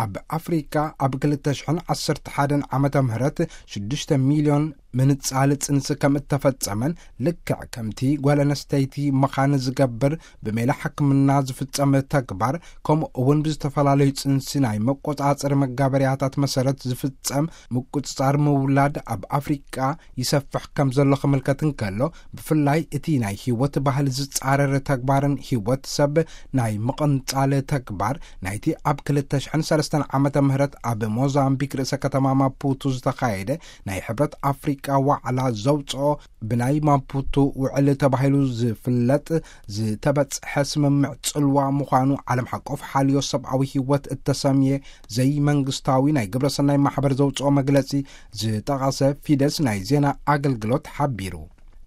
ኣብ ኣፍሪካ ኣብ ክልተ ሽሕን ዓሰርተ ሓደን ዓመተ ምህረት ሽዱሽተ ሚልዮን ምንጻል ጽንሲ ከም እተፈጸመን፣ ልክዕ ከምቲ ጓል ኣንስተይቲ ምዃን ዝገብር ብሜላ ሕክምና ዝፍጸም ተግባር፣ ከምኡ እውን ብዝተፈላለዩ ጽንሲ ናይ መቆጻጸሪ መጋበርያታት መሰረት ዝፍጸም ምቁጽጻር ምውላድ ኣብ ኣፍሪቃ ይሰፍሕ ከም ዘሎ ክምልከት እንከሎ፣ ብፍላይ እቲ ናይ ህይወት ባህሊ ዝጻረር ተግባርን ህይወት ሰብ ናይ ምቕንጻል ተግባር ናይቲ ኣብ ክልተ ሽሕን ሰለስተን ዓመተ ምህረት ኣብ ሞዛምቢክ ርእሰ ከተማ ማፑቱ ዝተኻየደ ናይ ሕብረት ኣፍሪቃ ዋዕላ ዘውጽኦ ብናይ ማፑቱ ውዕል ተባሂሉ ዝፍለጥ ዝተበጽሐ ስምምዕ ጽልዋ ምዃኑ ዓለም ሓቆፍ ሓልዮ ሰብኣዊ ህይወት እተሰምየ ዘይመንግስታዊ ናይ ግብረሰናይ ማሕበር ዘውጽኦ መግለጺ ዝጠቐሰ ፊደስ ናይ ዜና ኣገልግሎት ሓቢሩ።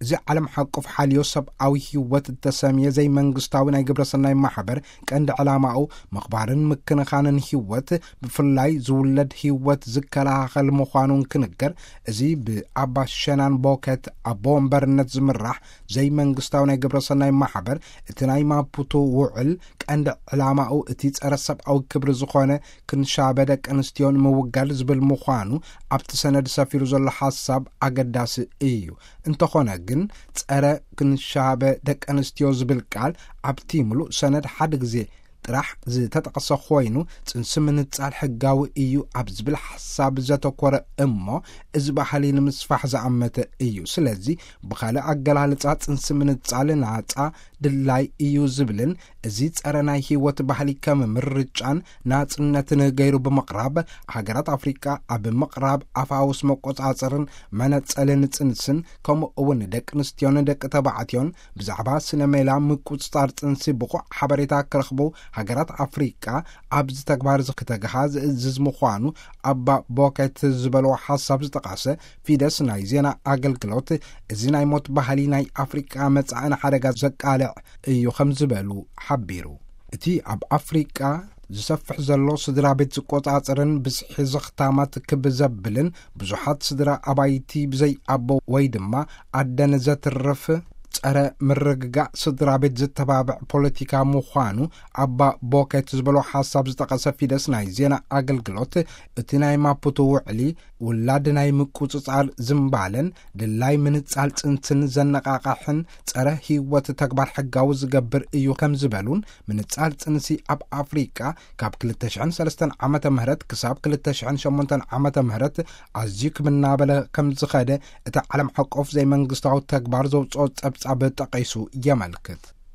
እዚ ዓለም ሓቆፍ ሓልዮ ሰብኣዊ ህይወት እተሰምየ ዘይመንግስታዊ ናይ ግብረሰናይ ማሕበር ቀንዲ ዕላማኡ ምኽባርን ምክንኻንን ህይወት፣ ብፍላይ ዝውለድ ህይወት ዝከላኸል ምዃኑን ክንገር፣ እዚ ብኣባ ሸናን ቦከት ኣቦ ወንበርነት ዝምራሕ ዘይመንግስታዊ ናይ ግብረሰናይ ማሕበር፣ እቲ ናይ ማፑቶ ውዕል ቀንዲ ዕላማኡ እቲ ጸረ ሰብኣዊ ክብሪ ዝኾነ ክንሻበ ደቂ ኣንስትዮ ንምውጋድ ዝብል ምዃኑ ኣብቲ ሰነድ ሰፊሩ ዘሎ ሓሳብ ኣገዳሲ እዩ። እንተኾነ ግን፣ ጸረ ክንሻበ ደቂ ኣንስትዮ ዝብል ቃል ኣብቲ ምሉእ ሰነድ ሓደ ግዜ ጥራሕ ዝተጠቕሰ ኮይኑ፣ ጽንሲ ምንጻል ሕጋዊ እዩ ኣብ ዝብል ሓሳብ ዘተኮረ እሞ፣ እዚ ባህሊ ንምስፋሕ ዝኣመተ እዩ። ስለዚ፣ ብኻልእ ኣገላልጻ፣ ጽንሲ ምንጻል ናጻ ድላይ እዩ ዝብልን፣ እዚ ጸረ ናይ ህይወት ባህሊ ከም ምርጫን ናጽነትን ገይሩ ብምቕራብ፣ ሃገራት ኣፍሪቃ ኣብ ምቕራብ ኣፋውስ መቆጻጸርን መነጸልን ጽንስን፣ ከምኡ እውን ንደቂ ኣንስትዮን ደቂ ተባዕትዮን ብዛዕባ ስነ ሜላ ምቁጽጻር ጽንሲ ብቑዕ ሓበሬታ ክረኽቡ ሃገራት ኣፍሪቃ ኣብዚ ተግባር እዚ ክተግሃ ዝእዝዝ ምዃኑ ኣባ ቦኬት ዝበልዎ ሓሳብ ዝጠቐሰ ፊደስ ናይ ዜና ኣገልግሎት፣ እዚ ናይ ሞት ባህሊ ናይ ኣፍሪቃ መጻኢ ንሓደጋ ዘቃልዕ እዩ ከም ዝበሉ ሓቢሩ። እቲ ኣብ ኣፍሪቃ ዝሰፍሕ ዘሎ ስድራ ቤት ዝቆጻጸርን ብዝሒ ዘኽታማት ክብ ዘብልን ብዙሓት ስድራ ኣባይቲ ብዘይ ኣቦ ወይ ድማ ኣደን ዘትርፍ ጸረ ምርግጋእ ስድራ ቤት ዝተባብዕ ፖለቲካ ምዃኑ ኣባ ቦኬት ዝበሎ ሓሳብ ዝጠቐሰ ፊደስ ናይ ዜና ኣገልግሎት፣ እቲ ናይ ማፑቶ ውዕሊ ውላድ ናይ ምቁጽጻር ዝምባለን ድላይ ምንጻል ጽንስን ዘነቓቕሕን ጸረ ህይወት ተግባር ሕጋዊ ዝገብር እዩ ከም ዝበሉን፣ ምንጻል ጽንሲ ኣብ ኣፍሪቃ ካብ ክልተ ሽሕን ሰለስተን ዓመተ ምህረት ክሳብ ክልተ ሽሕን ሸሞንተን ዓመተ ምህረት ኣዝዩ ክምናበለ ከም ዝኸደ እቲ ዓለም ሓቆፍ ዘይመንግስታዊ ተግባር ዘውጽኦ ጸብጻብ ጠቒሱ የመልክት።